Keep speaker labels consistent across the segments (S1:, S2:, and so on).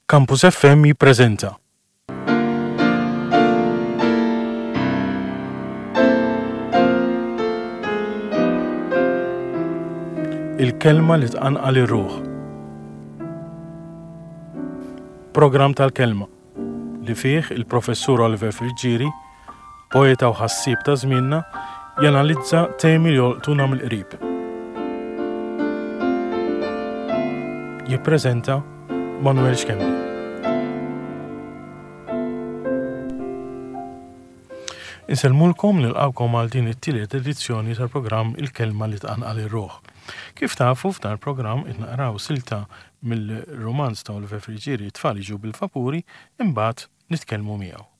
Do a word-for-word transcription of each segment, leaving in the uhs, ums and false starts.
S1: Campus F M jippreżenta Il-kelma li tqanqal ir-ruħ. Programm tal-kelma li fih il-Professur Oliver Friggieri, poeta u ħassieb ta' żmienna, janalizza temi li jolqtuna mill-qrib. Jippreżenta Manuel Schembri. Insellmulkom, nilqawkom għal din it-tielet edizzjoni tal-programm Il-Kelma li tqanqal ir-ruħ. Kif tafu, f'dan il-programm qed naqraw silta mill-romanz ta' Oliver Friggieri Tfal jiġu bil-vapuri, imbagħad nitkellmu miegħu.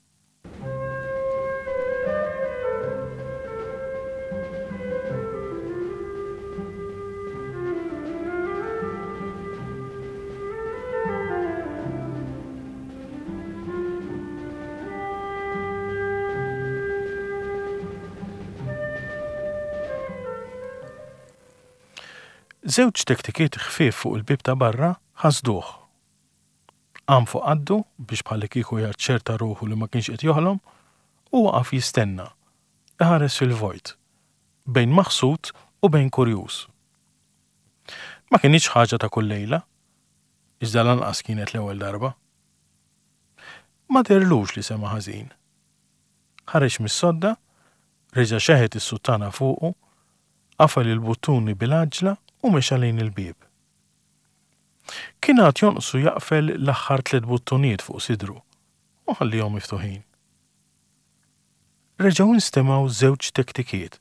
S1: Żewġ tektikiet ħfief fuq il-bieb ta' barra ħasduh. Qam fuq qaddu biex bħallikieku jaċċerta ruħu li ma kienx qed joħlom u waqaf jistenna, iħares fil-vojt, bejn maħsud u bejn kurjuż. Ma kinitx ħaġa ta' kull lejla, iżda lanqas kienet l-ewwel darba. Ma dehrlux li sema' ħażin. Ħareġ mis-sodda, reġa' xeħet is-suttana fuqu, qafel il-buttuni bil-għaġla u mexa lejn il-bieb. Kien għad jonqsu jaqfel l-aħħar tliet buttunijiet fuq sidru u ħallihom miftuħin. Reġgħu instemgħu żewġ tektikiet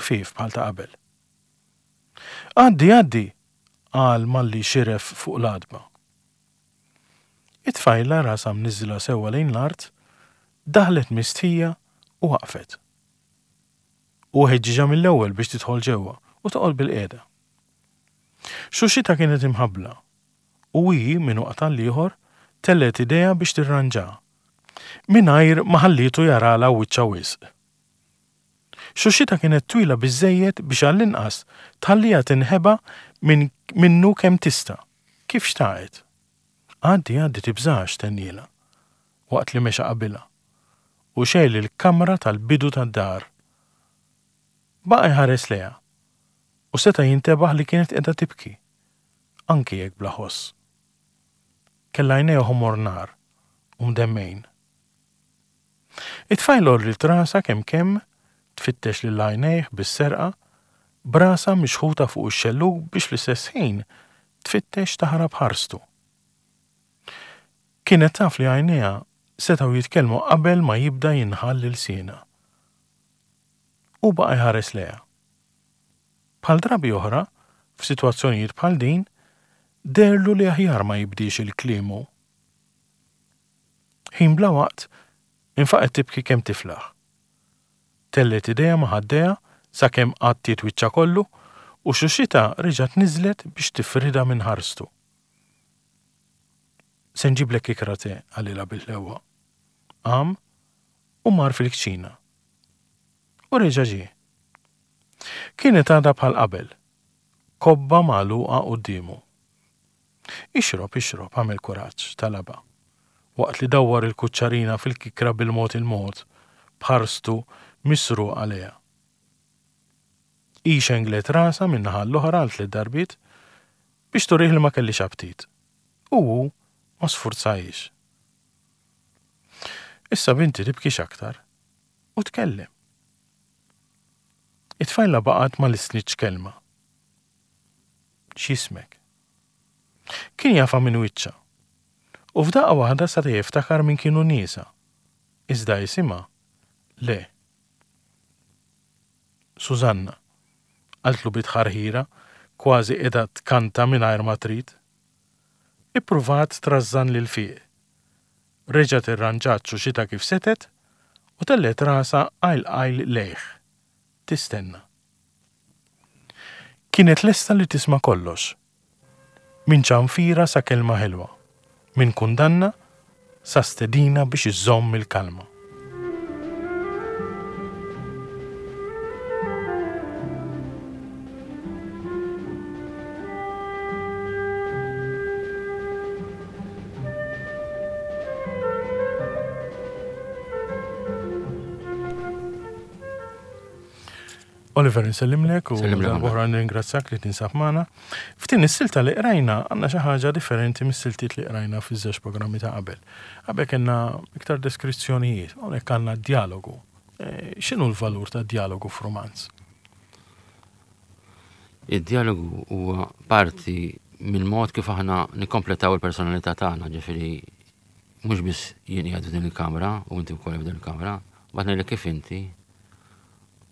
S1: ħfief bħal ta' qabel. "Għaddi, għaddi," qal malli xiref fuq l-għatba. It-tfajla, rasha mniżżla sewwa lejn l-art, daħlet mistħija u waqfet. U ħeġġiġha mill-ewwel biex tidħol ġewwa u toqgħod bil-qiegħda. Xuxita kienet imħabbla u hi minn waqt għall-ieħor tellgħet idea biex tirranġa mingħajr ma ħallietu jaralha wiċċha wisq. Xuxita kienet twila biżżejjed biex għall-inqas tħalliha tinħeba minn minnu kemm tista', kif xtaqet. "Għaddi, għaddi, tibżax," tennielha, waqt li mexa qabilha u xegħel il-kamra tal-bidu tad-dar. Baqa' jħares lejha u seta' jintebaħ li kienet qiegħda tibki, anki jekk bla ħoss. Kellha għajnejha ħomor nar u mdemmgħin. It-tfajla għolliet rasha kemm kemm tfittex lil għajnejh bis-serqa, b'rasha mixħuta fuq ix-xellug biex fl-istess ħin tfittex taħrab ħarstu. Kienet taf li għajnejha setgħu jitkellmu qabel ma jibda jinħall ilsienha. U baqa' jħares lejha. Bħal drabi oħra, f'sitwazzjonijiet bħal din, deherlu li aħjar ma jibdiex il-kliem hu. Ħin bla waqt, infaqgħet tibki kemm tiflaħ. Tellgħet idejha ma' ħaddejha sakemm għattiet wiċċha kollu u xuxitha reġgħet niżlet biex tifridha minn ħarstu. "Se nġiblek ikra te," qalilha bil-ħlewwa. Qam u mar fil-kċina. U reġa' ġie. Kienet għadha bħal qabel, kobba magħluqa quddiemu. "Ixrob, ixrob, għamel kuraġġ," talabha, waqt li dawwar il-kuċċarina fil-kikra bil-mod il-mod, b'ħarstu misruqa lejha. Hi xenglet rasha minn naħa l-oħra għal tliet darbiet biex turih li ma kellhiex aptit. U hu ma sfurzahiex. "Issa binti tibkix aktar u tkellem." It-tfajla baqgħet ma lissnitx kelma. "X'jismek?" Kien jafha minn wiċċha. U f'daqqa waħda seta' jiftakar min kienu niesha. Iżda isimha le. "Susanna," qaltlu bi tħarħira, kważi qiegħda tkanta mingħajr ma trid. Ippruvat trażżan lil fiq. Reġgħet irranġat xuxitha kif setgħet u tellgħet rasha qajl qajl lejh. Tistenna. Kienet lesta li tisma' kollox. Minn ċanfira sa kelma ħelwa, minn kundanna sa stedina biex iżżomm il-kalma. Oliver, nsellimlek u oħra nringrazzjak li tinsab magħna. F'din is-silta li qrajna għandna xi ħaġa differenti mis-siltiet li qrajna fiż-żewġ programmi ta' qabel. Qabel kellna iktar deskrizzjonijiet, hawnhekk għandna dialogu. X'inhu l-valur ta' dialogu f'rumanz?
S2: Id-dialogu huwa parti mill-mod kif aħna nikkompletaw il-personalità tagħna, ġifieri mhux biss jien qiegħed f'din il-kamra u inti wkoll f'din il-kamra, bagħad ngħidlek kif inti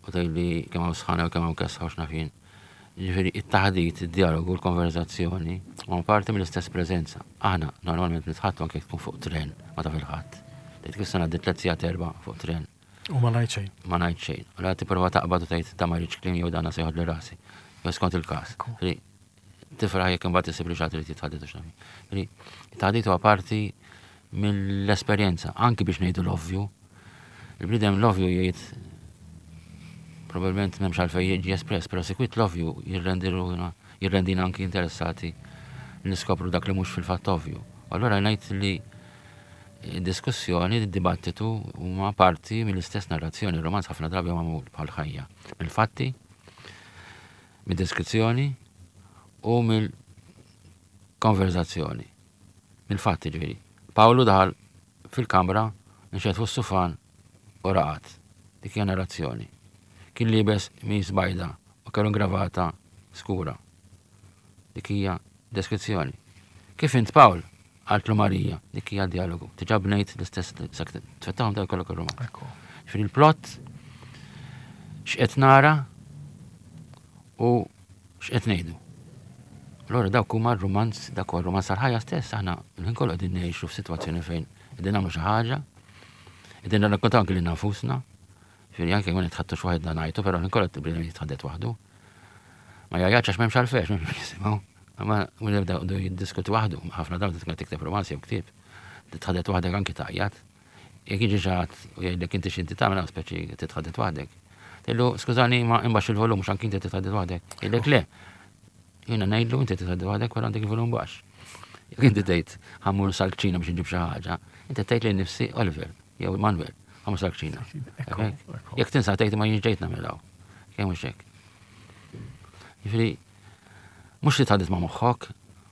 S2: u tgħidli kemm hawn sħana u kemm hawn kesħa u x'naf jien. Ġifieri it-taħdit, id-dialogu, l-konverzazzjoni huma parti mill-istess preżenza. Aħna normalment nitħattu anke tkun fuq tren, ma taf il-ħadd. Tgħid kif se ngħaddi tliet sigħat erba' fuq tren.
S1: U ma ngħid xejn.
S2: Ma ngħid xejn. U la tipprova taqbad u tgħid ta' ma rridx kliem jew dana se joħodli rasi. Jew skont il-każ. Tifraħ jekk imbagħad isib li xi ħadd irid jitħadded u x'naf jien. It-taħdit huwa parti mill-esperjenza, anki biex ngħidu l-ovvju. Il-bniedem l-ovvju jgħid probabbilment m'hemmx għalfejn jiġi espress, però sikwit l-ovvju jirrendina anki interessati niskopru dak li mhux fil-fatt ovvju. Allura ngħid li diskussjoni, dibattitu huma parti mill-istess narrazzjoni. Il-romanz ħafna drabi huwa magħmul bħal ħajja. Mill-fatti, mid-deskrizzjoni u mill-konverzazzjoni. Mill-fatti ġifieri. Pawlu daħal fil-kamra, nxeħet fuq sufan u raqad. Dik hija narrazzjoni. Kien liebes mis bajda u kellu gravata skura. Dik hija deskrizzjoni. Kif int Pawl? Qaltlu Marija. Dik hija dialogu. Diġà bnejt l-istess tfettahom ta' kollok ir-romanz. Ġifieri il-plot x'qed nara u x'qed ngħidu. Allora dawk huma r-romanz, dak huwa r-romanz tal-ħajja stess, aħna l-ħin kollu qegħdin ngħixu f'sitwazzjoni fejn qegħdin nagħmlu xi ħaġa, qegħdin nirrakkontaw anke lilna nfusna. Ġifieri anke ma nitħaddtux waħedna ngħidu, però l-ħin kollu bniedem jitħaddet waħdu. Ma jgħajjatx għax m'hemmx għalfejn, m'hemmx jisimgħu. Ma jibda jiddiskuti waħdu, ħafna drabi tkun tikteb romanz jew ktieb, titħaddet waħdek anki tgħajjat. Jekk jiġi xi ħadd u jgħidlek inti x'inti tagħmel, speċi titħaddet waħdek. Tgħidlu, skużani, ma imbaxx il-volum mhux anki inti titħaddet waħdek. Jgħidlek le. Jiena ngħidlu inti titħaddet waħdek wara għandek il-volum baxx. Jekk inti tgħid ħammur sal-kċina biex nġib xi ħaġa, inti tgħid lil nifsi Oliver jew Manuel, ħammur sal-kċina. Jekk tinsa tgħid ma jiġ ġejt nagħmel hawn. Kemm mhux hekk. Jiġifieri mhux li tħadded ma' moħħok,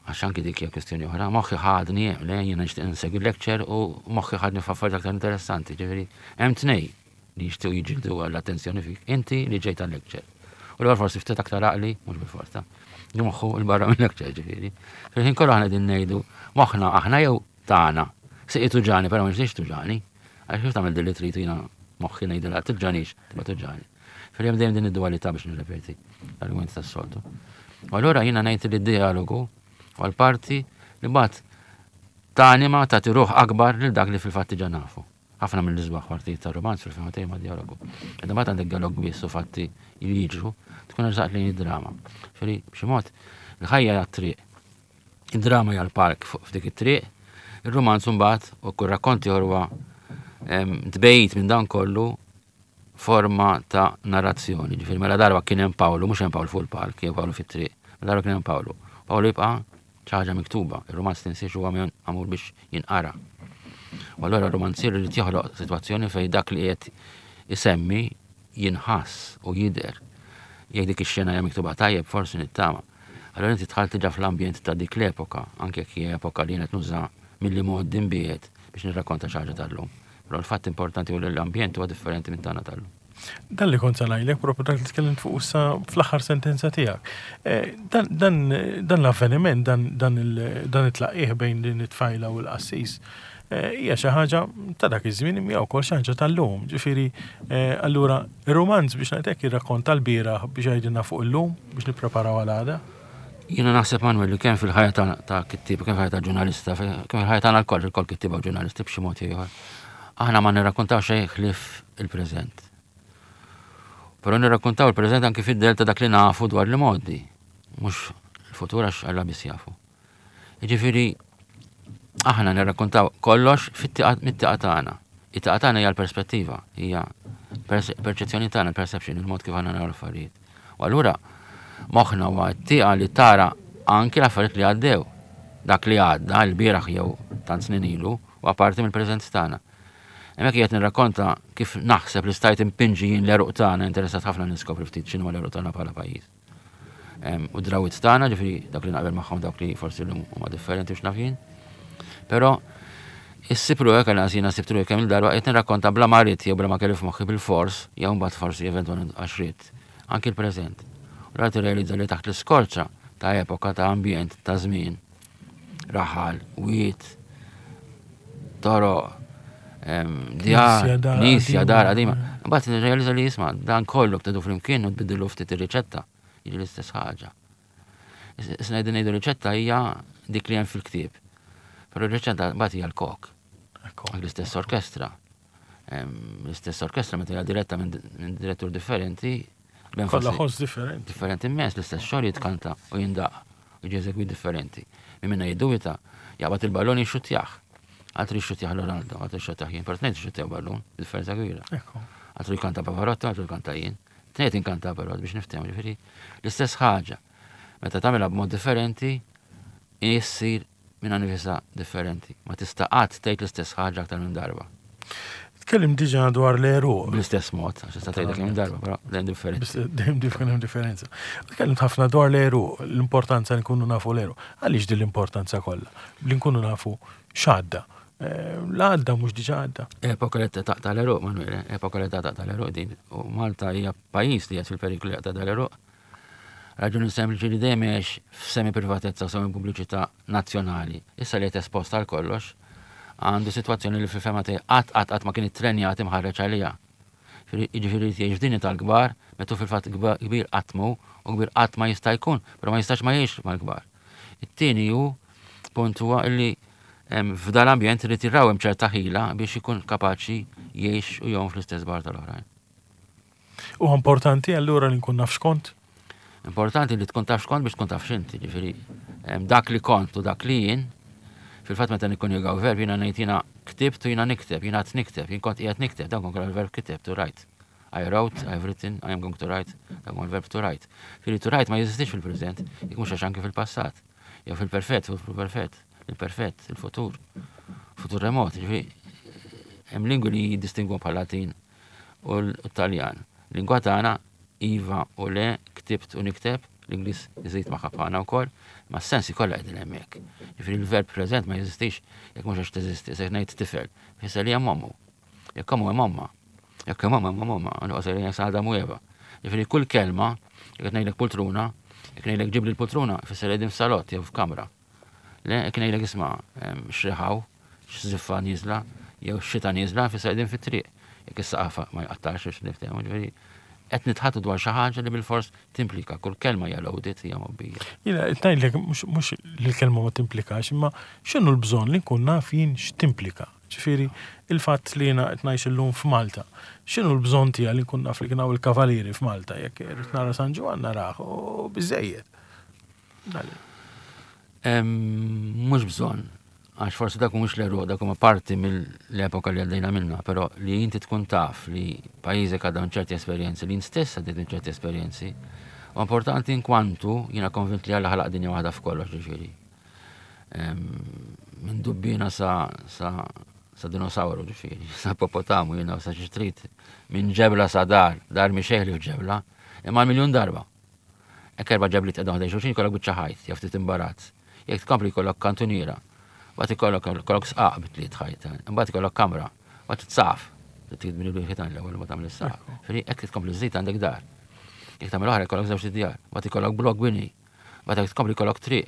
S2: għax anki dik hija kwestjoni oħra, moħħi ħadni hemm, le jiena nixtieq insegwi lecture u moħħi ħadni f'affarijiet aktar interessanti, ġifieri hemm tnej li jixtiequ jiġildu għall-attenzjoni fik, inti li ġejt għal-lecture. U l forsi ftit aktar għaqli, mhux bil-forza, li moħħu l-barra minn lecture ġifieri. Fil-ħin kollu aħna qegħdin ngħidu moħħna aħna jew tagħna. Siqi tuġani, però ma nixtiex tuġani. Għax kif tagħmel din li trid jiena moħħi ngħidilha tuġanix, tibqa' tuġani. Fil-hemm dejjem din id-dualità biex nirrepeti l-argument tas-soltu. U allura jiena ngħid li d-dialogu u l-parti li mbagħad tanima tagħti ruħ akbar lil dak li fil-fatt diġà nafu. Ħafna mill-isbaħ partijiet tar-romanz fil-fema tiegħi ma' dialogu. Iżda mbagħad għandek dialog biss u fatti li jiġru, tkun eżatt lejn id-drama. Ġifieri b'xi mod il-ħajja hija t-triq. Id-drama hija l-park fuq f'dik it-triq, ir-romanz mbagħad u kull rakkonti huwa tbejt minn dan kollu forma ta' narrazzjoni. Ġifieri mela darba kien hemm Pawlu, mhux hemm Pawlu fuq il-park, jew Pawlu fit-triq. Mela darba kien hemm Pawlu. Pawlu jibqa' xi ħaġa miktuba, ir-romanz tinsiex huwa magħmul biex jinqara. U allura r-romanzier irid joħloq sitwazzjoni fejn dak li qed isemmi jinħass u jidher. Jekk dik ix-xena hija miktuba tajjeb forsi nittama. Allora inti dħalt diġà fl-ambjent ta' dik l-epoka, anke jekk hija epoka li qed nuża milli mod dinbiet biex nirrakkonta xi ħaġa tal-lum. Però l-fatt importanti hu li l-ambjent huwa differenti minn tagħna tal-lum.
S1: Dan li kont se ngħidlek propju dak li tkellimt fuq issa fl-aħħar sentenza tiegħek. Dan, dan, dan l-avveniment, dan, dan il, dan it-tlaqqih bejn din it-tfajla u l-qassis, hija xi ħaġa ta' dak iż-żmien imma wkoll xi ħaġa tal-lum. Ġifieri, allura ir-romanz biex ngħidlek jirrakkonta l-bieraħ biex jgħidilna fuq illum biex nippreparaw għal għada.
S2: Jiena naħseb Manuel li kemm fil-ħajja ta', ta' kittieb, kemm fil-ħajja ta' ġurnalista, kemm fil-ħajja tagħna lkoll, ilkoll kittieba u ġurnalisti b'xi mod ieħor. Aħna ma nirrakkontaw xejn ħlief il-preżent. Però nirrakkontaw il-preżent anki fid-del ta' dak li nafu dwar li modi, mhux il-futur għax Alla biss jafu. Jiġifieri aħna nirrakkontaw kollox mit-tieqa tagħna. It-tieqa tagħna hija l-perspettiva, hija perċezzjoni tagħna, perception, il-mod kif aħna naraw l-affarijiet. U allura moħħna huwa t-tieqa li tara anki l-affarijiet li għaddew. Dak li għadda l-bieraħ jew tant snin ilu u apparti mill-preżent tagħna. Hemmhekk qed nirrakkonta kif naħseb li stajt impinġi jien l-għeruq tagħna, interessat ħafna niskopri ftit x'inhu l-għeruq tagħna bħala pajjiż. U drawwiet tagħna, ġifieri dak li naqbel magħhom, dawk li forsi llum huma differenti u x'naf jien. Però issib ruħek, għal jiena sibt ruħi kemm il-darba qed nirrakkonta bla ma rrid jew bla ma kelli f'moħħi bil-fors, jew mbagħad forsi eventwalment għax ridt, anki l-preżent. U rrid tirrealizza li taħt l-iskorċa ta' epoka, ta' ambjent, ta' żmien, raħal, wiet, toroq, djar, knisja, dar qadima. Mbagħad nirrealizza li jisma' dan kollu btedu flimkien u tbiddilu ftit ir-riċetta, jiġi l-istess ħaġa. Issa ngħidu ngħidu riċetta hija dik li hemm fil-ktieb. Però r-riċetta mbagħad hija l-kok. L-istess orkestra. L-istess orkestra meta hija diretta minn direttur differenti.
S1: Kollha ħoss differenti.
S2: Differenti immens, l-istess xogħol jitkanta u jindaq u jiġi eżegwit differenti. Min minna jiddubita jaqbad il-ballon jixxuttjah. Altru jixxuttjah Ronaldo, altru jixxuttjah jien, però tnejn jixxuttjaw ballun, differenza kbira. Altru jkanta Pavarotti, altru jkanta jien. Tnejn inkanta però biex niftehmu, ġifieri l-istess ħaġa. Meta tagħmilha b'mod differenti, issir minna nifisha differenti. Ma tista' qatt tgħid l-istess ħaġa aktar minn darba.
S1: Tkellim diġà dwar l-għeruq.
S2: Bl-istess mod, għax tista' tgħidha kemm darba, però dejjem differenza.
S1: Dejjem dejjem differenza. Tkellimt ħafna dwar l-għeruq, l-importanza li nkunu nafu l-għeruq. Għaliex din l-importanza kollha? Li nkunu nafu x'għadda. L-għadda mhux diġà għadda.
S2: Epoka li taqta' l-għeruq, Manuel, epoka li taqta' l-għeruq din. U Malta hija pajjiż li qed fil-periklu li jaqta' l-għeruq. Raġuni sempliċi li dejjem għex f'semi privatezza u semi pubbliċità nazzjonali. Issa li qed esposta għal kollox, għandu sitwazzjoni li fil-fema tiegħi qatt qatt qatt ma kien ittrenjat imħarreġ għaliha. Jiġifieri jgħix f'dinja tal-kbar, meta fil-fatt kbir qatt mhu u kbir qatt ma jista' jkun, però ma jistax ma jgħix mal-kbar. It-tieni hu punt huwa li f'dal-ambjent irid jirrawhem ċerta ħila biex ikun kapaċi jgħix u jgħum fl-istess bar tal-oħrajn.
S1: U importanti allura li nkun naf x'kont?
S2: Importanti li tkun taf x'kont biex tkun taf x'inti, ġifieri dak li kont u dak li jien, fil-fatt meta nikkonjugaw verb jiena ngħid jiena ktibt u jiena nikteb, jiena qed nikteb, jien kont qiegħed nikteb, dan kont il-verb kiteb, to write. I wrote, I've written, I am going to write, dan huwa l-verb to write. Ġifieri to write ma jeżistix fil-preżent, jekk mhux għax anke fil-passat, jew fil-perfett, fil-perfett, il-perfett, il-futur, futur remot, ġifieri hemm lingwi li jiddistingwu bħal Latin u l-Taljan. Lingwa tagħna iva u le, ktibt u nikteb, l-Ingliż iżid ma' ħafna wkoll, ma s-sensi kollha qegħdin hemmhekk. Ġifieri l-verb preżent ma jeżistix jekk mhux għax teżisti, se ngħid tifel, fisser li hemm ommu. Jekk ommu hemm omma. Jekk hemm omma hemm omma, għandu li hemm Adam u Eva. Ġifieri kull kelma, jekk qed ngħidlek poltruna, jekk ngħidlek ġibli l-poltruna, fisser li qegħdin f'salott jew f'kamra. Le, jekk ngħidlek isma' xriħaw, x'żiffa nieżla, jew xita nieżla, fisser qegħdin fit-triq. Jekk is-saqaf ma jqattax biex niftehmu, ġifieri qed nitħatu dwar xi ħaġa li bil-fors timplika, kull kelma hija loaded, hija mgħobbija.
S1: Jiena qed ngħidlek mhux li l-kelma ma timplikax, imma x'inhu l-bżonn li nkun naf jien x'timplika. Ġifieri il-fatt li jiena qed ngħix illum f'Malta, x'inhu l-bżonn tiegħi li nkun naf li kien hawn il-kavalieri f'Malta, jekk irrid nara San Ġwann narah u biżejjed.
S2: Mhux bżonn, għax forsi dak mhux l-għeruq, dak huma parti mill-epoka li għaddejna minna, però li inti tkun taf li pajjiżek għadda minn ċerti esperjenzi, li int stess għaddejt minn ċerti esperjenzi, u importanti in kwantu jiena konvint li Alla ħalaq dinja waħda f'kollox, ġifieri. Minn dubbina sa, sa, sa dinosawru, ġifieri, sa ipopotamu, jiena sa xi trid, minn ġebla sa dar, dar mhi xejn li f'ġebla, imma miljun darba. Hekk erba' ġebliet qegħdin ħdejn xulxin jkollok biċċa ħajt, jew ftit imbarazz. Jekk tkompli jkollok kantuniera, mbagħad ikollok ikollok sqaq bit-tliet ħajt, imbagħad ikollok kamra, mbagħad tsaf, trid tibni bil-ħitan l-ewwel ma tagħmel is-saqaf. Ġifieri hekk tkompli żżid għandek dar. Jekk tagħmel oħra jkollok żewġ djar, mbagħad ikollok blok bini, mbagħad jekk tkompli jkollok triq,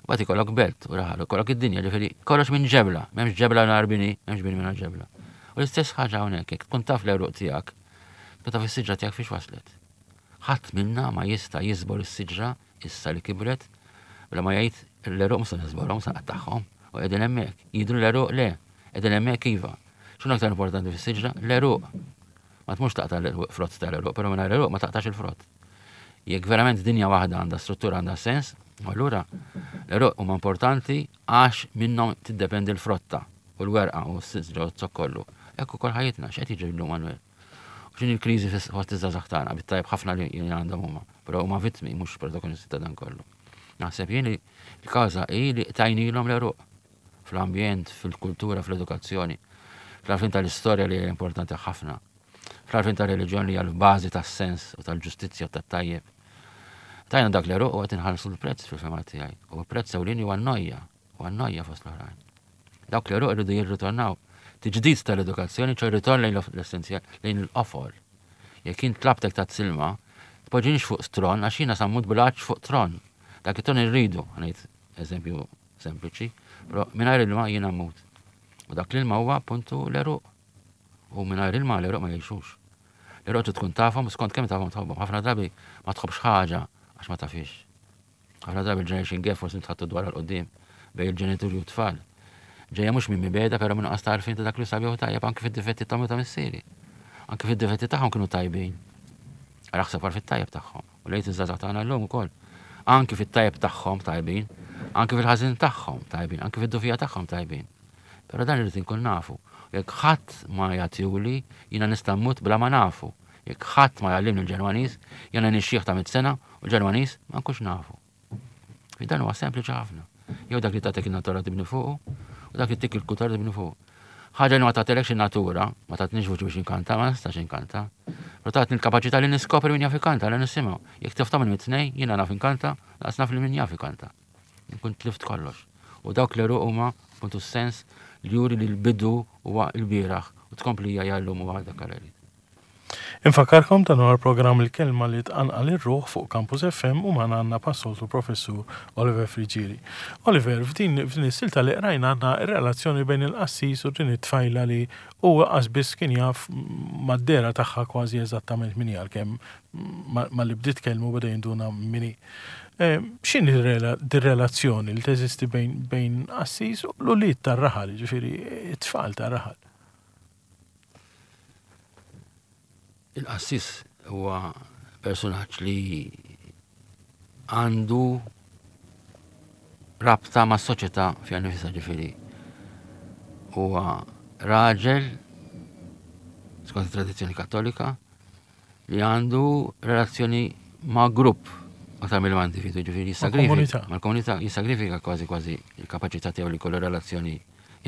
S2: mbagħad ikollok belt u raħal, ikollok id-dinja, ġifieri kollox minn ġebla, m'hemmx ġebla nhar bini, m'hemmx bini mingħajr ġebla. U l-istess ħaġa hawnhekk, jekk tkun taf l-għeruq tiegħek, tkun taf is-siġra tiegħek fiex waslet. Ħadd minna ma jista' jiżbor is-siġra issa li kibret bla ma jgħid l-għeruq mhux se niżborhom, se nqattagħhom. U qegħdin hemmhekk. Jidhru l-għeruq le, qegħdin hemmhekk iva. X'inhu aktar importanti fis-siġra? L-għeruq. Ma tmurx taqta' l-frott tal-għeruq, però mingħajr l-għeruq ma taqtax il-frott. Jekk verament dinja waħda għandha struttura, għandha sens, allura l-għeruq huma importanti għax minnhom tiddependi l-frotta u l-werqa u s-siġra u z-zokk kollu. Hekk ukoll ħajjitna, x'qed jiġri llum Manuel? U x'inhi l-kriżi fost iż-żgħażagħ tagħna, bit-tajjeb ħafna li għandhom huma, però huma vittmi mhux protagonisti ta' dan kollu. Naħseb jien li l-kawża hi li tajnilhom l-għeruq fl-ambjent, fil-kultura, fl-edukazzjoni. Fl-għarfien tal-istorja li hija importanti ħafna. Fl-għarfien tal-reliġjon li hija l-bażi tas-sens u tal-ġustizzja u tat-tajjeb. Tajna dak l-għeruq u qed inħallsu l-prezz fil-fehma tiegħi. U l-prezz ewlieni huwa n-nojja, huwa n-nojja fost l-oħrajn. Dawk l-għeruq irridu jirritornaw. Tiġdid tal-edukazzjoni, ċo ritorn lejn l-essenzjal, lejn il-qofol. Jekk jien tlabtek ta' silma, tpoġġinix fuq tron, għax jiena sa mmut bil-għatx fuq tron. Dak it-tron irridu, ngħid eżempju sempliċi, però mingħajr ilma jiena mmut. U dak l-ilma huwa appuntu l-għeruq. U mingħajr ilma l-għeruq ma jgħixux. L-għeruq trid tkun tafhom skont kemm tafhom tħobbhom. Ħafna drabi ma tħobbx ħaġa għax ma tafix. Ħafna drabi il-generation gap forsi nitħaddtu dwar 'l quddiem bejn il-ġenituri u t-tfal. Ġejja mhux minn mibegħda, però minn nuqqas ta' għarfien ta' dak li sabiħ u tajjeb anke fid-difetti tagħhom u ta' missieri. Anke fid-difetti tagħhom kienu tajbin. Raħseb għal fit-tajjeb tagħhom. U lejt iż-żgħażagħ tagħna llum ukoll. Anke fit-tajjeb tagħhom tajbin, anke fil-ħażin tagħhom tajbin, anke fid-dgħufija tagħhom tajbin. Però dan irid inkun nafu. Jekk ħadd ma jagħtihuli, jiena nista' mmut bla ma nafu. Jekk ħadd ma jgħallimni l-Ġermaniż, jiena nixjieħ ta' mitt sena u l-Ġermaniż ma nkunx nafu. Fi dan huwa sempliċi ħafna. Jew dak li tagħtek in-natura tibni fuqu, u dak li tik il-kultura tibni fuqu. Ħaġa li ma tagħtilekx in-natura, ma tatnix vuċi biex inkanta, ma nistax inkanta. Però tatni l-kapaċità li niskopri min jaf ikanta, li nisimgħu. Jekk tifta minn mit-tnejn, jiena naf inkanta, laqas naf li min jaf ikanta. Nkun tlift kollox. U dawk l-għeruq huma puntu sens li juri li l-bidu huwa l-bieraħ u tkomplija llum u għada kareli.
S1: Infakkarkom dan huwa l-programm Il-Kelma li tqanqal ir-ruħ fuq Campus F M u magħna għandna bħas-soltu professur Oliver Friggieri. Oliver, f'din f'din is-silta li qrajna għandna r-relazzjoni bejn il-qassis u din it-tfajla li huwa qas biss kien jaf mad-dehra tagħha kważi eżattament min hija, kemm ma li bdiet kelmu beda jinduna min hi. Eh, X'inhi dir-relazzjoni li teżisti bejn bejn qassis u l-ulied tar-raħal, ġifieri it-tfal tar-raħal?
S2: Il-qassis huwa personaġġ li għandu rabta ma' soċjetà fiha nifisha, ġifieri. Huwa raġel skont it-tradizzjoni Kattolika li għandu relazzjoni ma' grupp aktar mill individu, ġifieri jissagrifika
S1: komunità.
S2: Mal-komunità, jissagrifika kważi kważi il-kapaċità tiegħu li jkollu relazzjoni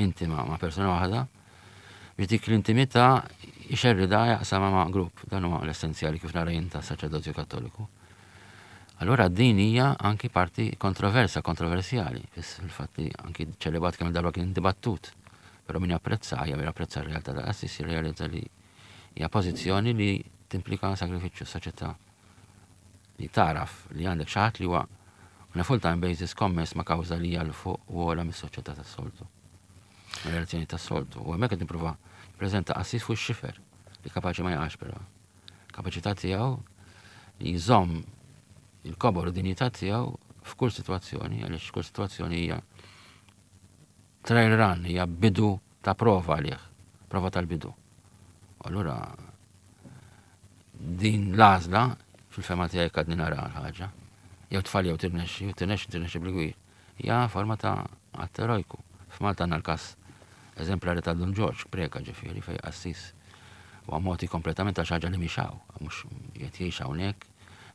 S2: intima ma' persuna waħda biex dik l-intimità jxerridha, jaqsama ma' grupp. Dan huwa l-essenzjali kif nara jien ta' saċerdozju Kattoliku. Allura din hija anki parti kontroversa, kontroversjali, fil-fatt li anki ċelibat kemm darba kien dibattut. Però min japprezza, hija min japprezza r-realtà ta' qassis jirrealizza li hija pożizzjoni li timplika sagrifiċċju, soċjetà li taraf li għandek xi ħadd li huwa on a full-time basis kommess ma' kawża li hija 'l fuq u ogħla mis-soċjetà tas-soltu. Relazzjoni tas-soltu. U hemmhekk qed nipprova nippreżenta qassis fuq ix-xifer li kapaċi ma jaqax però. Kapaċità tiegħu li jżomm il-kobor u dinjità tiegħu f'kull sitwazzjoni, għaliex kull sitwazzjoni hija trial run, hija bidu ta' prova għalih, prova tal-bidu. U allura din l-għażla fil-fehma tiegħi kadni nara l-ħaġa. Jew tfal jew tirnexxi, jew tirnexxi tirnexxi bil-gwir. Hija forma ta' att erojku. F'Malta għandna l-każ eżemplari ta' Dun Ġorġ Preca, ġifieri fej qassis u għamoti kompletament għal ħaġa li mhix hawn, mhux qed jgħix hawnhekk,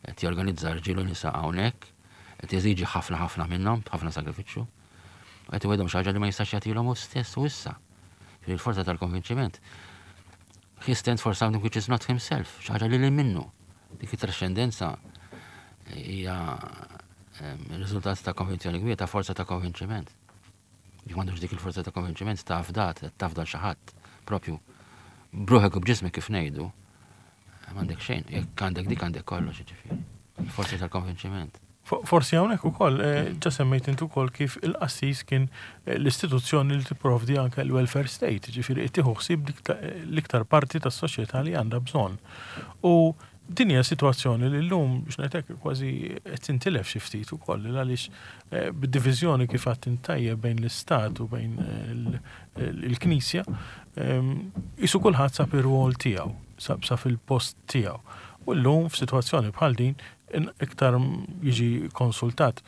S2: qed jorganizza rġiel u nisa hawnhekk, qed jeżiġi ħafna ħafna minnhom, ħafna sagrifiċċju. U qed iwegħedhom xi ħaġa li ma jistax jagħtilhom hu stess u issa. Ġifieri l-forza tal-konvinċiment. He stands for something which is not himself, xi ħaġa li lil minnu. Dik it-trascendenza hija em, riżultat ta' konvinzjoni kbira, ta' forza ta' konvinċiment. Jekk m'għandux dik il-forza ta' konvinċiment, ta' fdat, tafda xi ħadd propju b'ruħek u b'ġismek kif ngħidu, m'għandek xejn, jekk għandek dik għandek kollox, ġifieri. Il-forza tal-konvinċiment.
S1: Fo- Forsi hawnhekk ukoll eh, ġa semmejt intu ukoll kif il-qassis kien eh, l-istituzzjoni li tipprovdi anke l-welfare state, ġifieri qed tieħu ħsieb dik ta- l-iktar parti tas-soċjetà li għandha bżonn. U din hija sitwazzjoni li llum biex ngħidlek kważi qed tintilef xi ftit ukoll għaliex eh, bid-diviżjoni kif għedt tajjeb bejn l-istat u bejn eh, l- il-Knisja, ehm, isu kulħadd sab ir-rwol tiegħu, sab sab il-post tiegħu. U llum f'sitwazzjoni bħal din in- iktar jiġi konsultat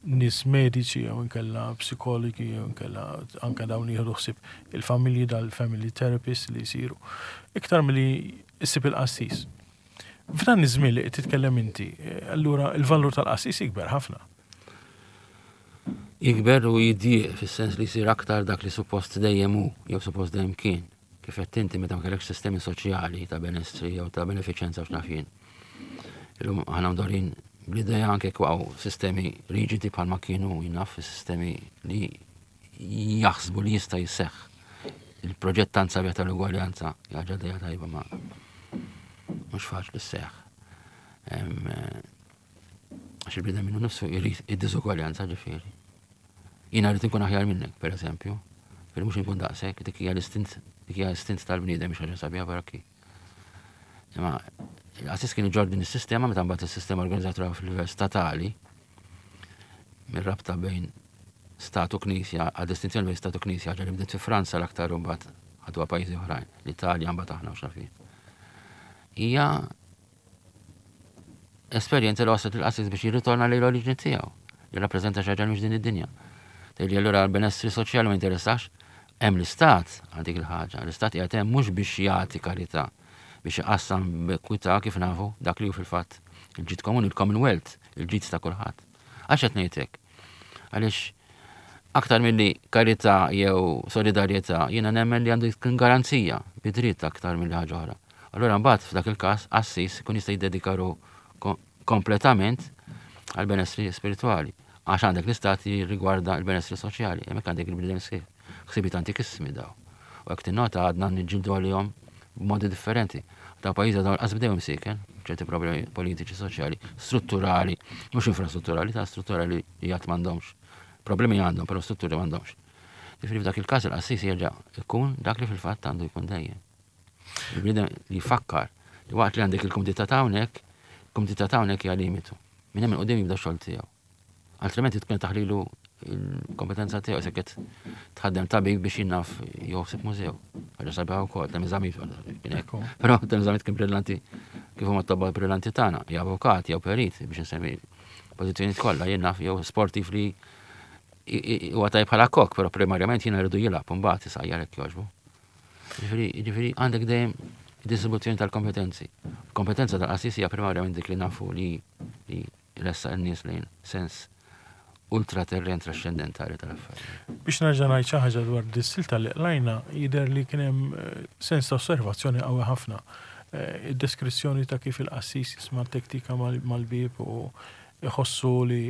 S1: nies mediċi jew inkella psikologi jew inkella anke dawn jieħdu ħsieb il-familji, dal-family therapists li jsiru. Iktar milli issib il-qassis. F'dan iż-żmien li qed titkellem inti, eh, allura il-valur tal-qassis jikber ħafna.
S2: Jikber u jidjieq fis-sens li jsir aktar dak li suppost dejjem hu, jew suppost dejjem kien. Kif qed inti meta ma kellekx sistemi soċjali ta' benessri jew ta' benefiċenza x'naf jien. Illum aħna mdorrijin bl-idea anke waqgħu sistemi riġidi bħalma kienu jien naf sistemi li jaħsbu li jista' jseħħ. Il-proġett tant sabiħ tal-ugwaljanza, ħaġa idea tajba ma mhux faċli sseħħ. Għax il-bniedem minnu nifsu jrid id-diżugwaljanza ġifieri. Jiena rrid inkun aħjar minnek, per eżempju, fil mhux inkun daqshekk, dik hija l-istint, dik hija l-istint tal-bniedem mhix ħaġa sabiħa baraki. Imma l-qassis kien iġorr din is-sistema meta mbagħad is-sistema organizzatura fil-livell statali mir-rabta bejn stat u knisja, għal distinzjoni bejn stat u knisja ħaġa li bdiet fi Franza l-aktar u mbagħad ħaduha pajjiżi oħrajn, l-Italja mbagħad aħna u x'naf jien. Hija esperjenza li waslet il-qassis biex jirritorna lejn l-oriġini tiegħu, li rappreżenta xi ħaġa mhux din id-dinja. Tgħidli allura l-benessri soċjali ma jinteressax, hemm l-istat għal dik il-ħaġa. L-istat qiegħed hemm mhux biex jagħti karità, biex iqassam b'ekwità kif nafu dak li hu fil-fatt il-ġid komuni, il-Commonwealth, il-ġid ta' kulħadd. Għax qed ngħidlek? Għaliex aktar milli karità jew solidarjetà, jiena nemmen li għandu jkun garanzija bi dritt aktar milli ħaġa oħra. Allura mbagħad f'dak il-każ qassis ikun jista' jiddedika ruħu kompletament għal benessri spiritwali. Għax għandek l-istat jirrigwarda l-benessri soċjali, hemmhekk għandek il-bniedem sħiħ. Ħsibiet antikissimi daw. U hekk tinnota għadna niġġieldu għalihom b'modi differenti. Ta' pajjiża dawn qas bdew imsieken, ċerti problemi politiċi, soċjali, strutturali, mhux infrastrutturali, ta' strutturali li għad m'għandhomx. Problemi għandhom, però strutturi m'għandhomx. Ġifieri f'dak il-każ il-qassis jerġa' ikun dak li fil-fatt għandu jkun dejjem. Il-bniedem li jfakkar li waqt li għandek il-kumdità ta' hawnhekk, il-kumdità ta' hawnhekk hija limitu. Minn hemm il-qudiem jibda x-xogħol tiegħu. Altrimenti tkun taħlilu il-kompetenza tiegħu se qed tħaddem tabib biex jien naf joħsib mużew. Ħaġa sabiħa wkoll, Temi Zammit kien hekk. Però Temi Zammit kien brillanti kif huma t-tobba brillanti tagħna, jew avukat, jew perit biex insemmi pożizzjonijiet kollha, jien naf jew sportiv li huwa tajb bħala kok, però primarjament jiena rridu jilgħab u mbagħad isajjar hekk jogħġbu. Ġifieri, ġifieri għandek dejjem distribuzzjoni tal-kompetenzi. Kompetenza tal-qassis hija primarjament dik li nafu li li ressa n-nies lejn sens ultraterren trascendentali tal-affarijiet.
S1: Biex nerġa' ngħid xi ħaġa dwar dis-silta li qlajna, jidher li kien hemm eh, sens ta' osservazzjoni qawwi ħafna. Eh, id-deskrizzjoni ta' kif il-qassis jisma' tektika mal-bieb u iħossu li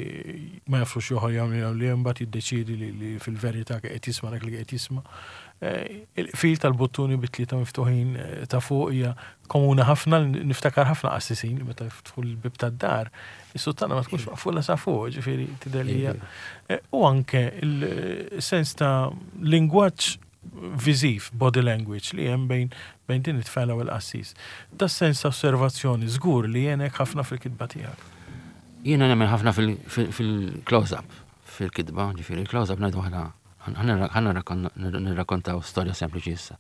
S1: ma jafux joħor jagħmel li mbagħad jiddeċiedi li fil-verità qed jisma' dak li qed jisma'. Eh, il-fil tal-buttuni bit-tlieta miftuħin ta' fuq hija komuni ħafna, niftakar ħafna qassisin li meta jiftħu l-bib tad-dar, is-suttana ma tkunx maqfula sa fuq, ġifieri tidher li hija. U anke il-sens ta' lingwaġġ viżiv, body language, li hemm bejn bejn din it-tfajla u l-qassis. Da sens ta' osservazzjoni żgur li jenek ħafna fil-kitba tiegħek.
S2: Jiena nemmen ħafna fil-close-up, fil-kitba, ġifieri il-close-up ngħidu aħna ħa nirrakkontaw storja sempliċi issa.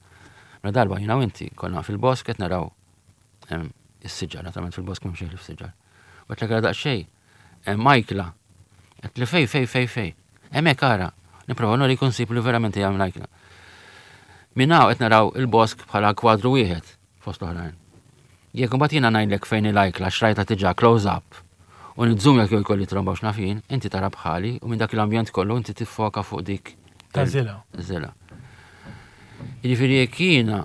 S2: Mela darba jiena u inti konna fil-bosk qed naraw is-siġar, naturalment fil-bosk m'hemm xejn fis-siġar. U qed l daqsxejn, hemm ajkla, qed li fej fej fej fej. Hemmhekk ara, nipprova nuri konsib li verament hija ajkla. Minn hawn qed naraw il-bosk bħala kwadru wieħed fost l-oħrajn. Jekk imbagħad jiena ngħidlek fejn il-ajkla xrajta diġà close up u nizzum jekk jkolli tromba u x'naf jien, inti tara bħali u minn dak l-ambjent kollu inti tiffoka fuq dik
S1: Ta' zila.
S2: Zila. Jiġifieri jekk jiena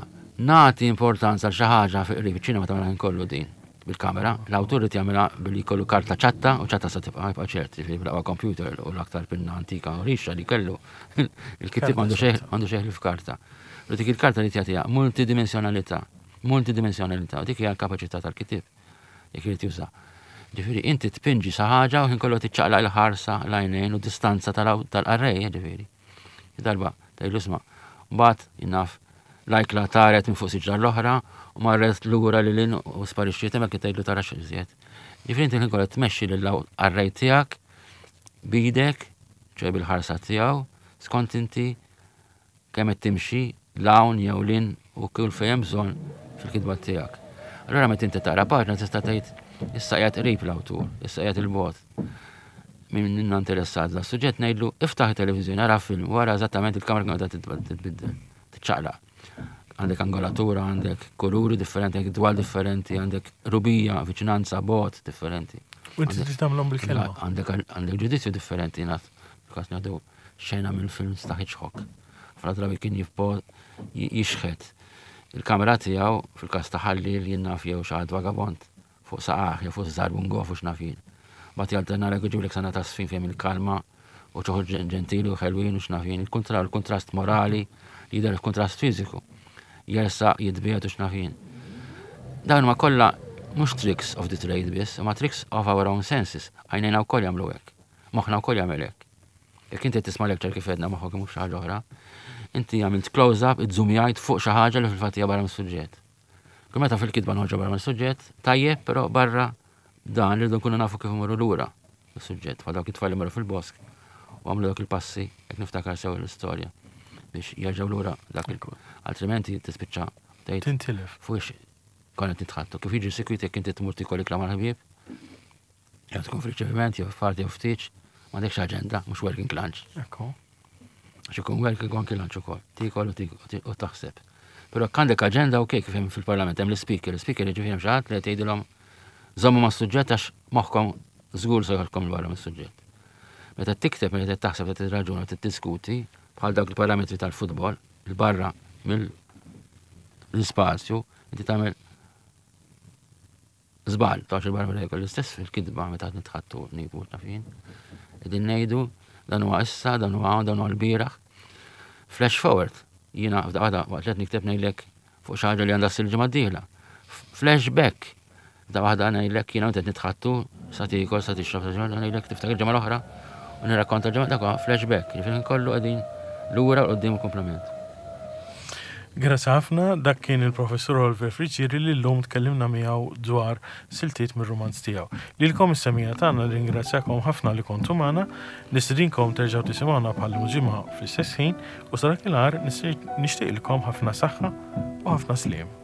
S2: nagħti importanza għal xi ħaġa fi qrib iċ-ċinema tagħmel kollu din bil-kamera, l-awtur irid jagħmilha billi jkollu karta ċatta u ċatta sa tibqa' jibqa' ċert, jiġifieri bil-aqwa computer u l-aktar pinna antika u rixa li kellu. Il-kittieb għandu xejn għandu xejn f'karta. U dik il-karta li tagħtiha multidimensjonalità, multidimensjonalità, u dik hija l-kapaċità tal-kittieb jekk irid juża. Ġifieri inti tpinġi sa ħaġa u ħin kollu tiċċaqlaq il-ħarsa l-għajnejn u distanza tal-qarrej, ġifieri. Darba, tgħidlu isma' mbagħad jien naf l-ajkla taret minn fuq siġra l-oħra u marret lura lil hinn u sparixxiet hemmhekk tgħidlu tara x'iżjed. Ġifieri inti ħin kollu tmexxi lill-qarrej tiegħek bidek, ċoj bil-ħarsa tiegħu, skont inti kemm qed timxi l-hawn jew lin u kull fejn hemm bżonn fil-kitba tiegħek. Allura meta inti taqra paġna tista' tgħid issa qiegħed qrib l-awtur, issa qiegħed il-bogħod. Min minna interessat da suġġett ngħidlu iftaħ it-televiżjoni, ara film, wara eżattament il-kamera kemm qiegħda titbiddel, tiċċaqlaq. Għandek angolatura, għandek kuluri differenti, għandek dwal differenti, għandek rubija, viċinanza, bogħod differenti.
S1: U inti trid tagħmilhom bil-kelma.
S2: Għandek għandek ġudizzju differenti, naf, kas ngħidu xena mill-films ta' Hitchcock. Fra drabi kien jifpo jixħet Il-kamera tiegħu fil-każ ta' ħalliel jien naf jew xi ħadd vagabond fuq saqajh jew fuq żarbun goff u x'naf jien. Mbagħad jalternalek u jġiblek sena ta' sfin fejn il-kalma u ċoħu ġentili u ħelwin u x'naf jien. Il-kontrast morali li jidher il-kontrast fiżiku. Jersaq, jitbiegħed u x'naf jien. Dawn ma kollha mhux tricks of the trade biss, ma tricks of our own senses. Għajnejna wkoll jagħmlu hekk. Moħħna wkoll jagħmel hekk. Jekk inti tisma' lecture kif għedna moħħok mhux xi ħaġa oħra, inti għamilt close-up, iżżumjajt fuq xi ħaġa li fil-fatt hija barra mis-suġġett. Kull meta fil-kitba noħorġu barra mis-suġġett, tajjeb, però barra dan li nkunu nafu kif imorru lura is-suġġett. Bħal dawk it-tfal li marru fil-bosk u għamlu dak il-passi, jekk niftakar sew l-istorja biex jerġgħu lura dak il Altrimenti tispiċċa tgħid
S1: Tintilef.
S2: fuq konna nitħaddtu. Kif jiġi sikwit jekk inti tmur tikol ikla mal-ħbieb, jew tkun f'riċeviment, jew f'party jew f'tieġ, m'għandekx aġenda, mhux working lunch.
S1: Ekku.
S2: Għax ikun working anki lunch ukoll. Tikol u tik- u taħseb. Però għandek aġenda u kif hemm fil-parlament hemm l-speaker, l-speaker jiġifieri hemm xi ħadd li qed jgħidilhom żommu mas-suġġett għax moħħkom żgur se joħodkom 'l barra mis-suġġett. Meta tikteb, meta taħseb, meta tirraġuna, tiddiskuti, bħal dawk il-parametri tal-futbol, il-barra mill-ispazju, inti tagħmel żball, tax il-barra mill l-istess fil-kitba meta qed nitħaddtu niktbu naf jien. Qegħdin ngħidu dan huwa issa, dan huwa hawn, dan huwa l-bieraħ. Flash forward, jiena f'daqqa waqt li qed nikteb ngħidlek fuq xi ħaġa li għandha ssir ġimgħa d-dieħla. Flashback, da waħda ngħidlek jiena qed nitħaddtu sa tiekol, sa tixrob, sa ġimgħa ngħidlek tiftakar ġimgħa l-oħra u nirrakkonta ġimgħa dak huwa flashback, jiġifieri kollu qegħdin lura u quddiem il-komplement.
S1: Grazzi ħafna, dak kien il-professur Oliver Friggieri li llum tkellimna miegħu dwar siltiet mir-romanz tiegħu. Lilkom is-semmiegħa tagħna ringrazzjakom ħafna li kontu magħna, nistedinkom terġgħu tisimgħuna bħal ġimgħa fl-istess ħin u sa dakinhar nixtieqilkom ħafna saħħa u ħafna sliem.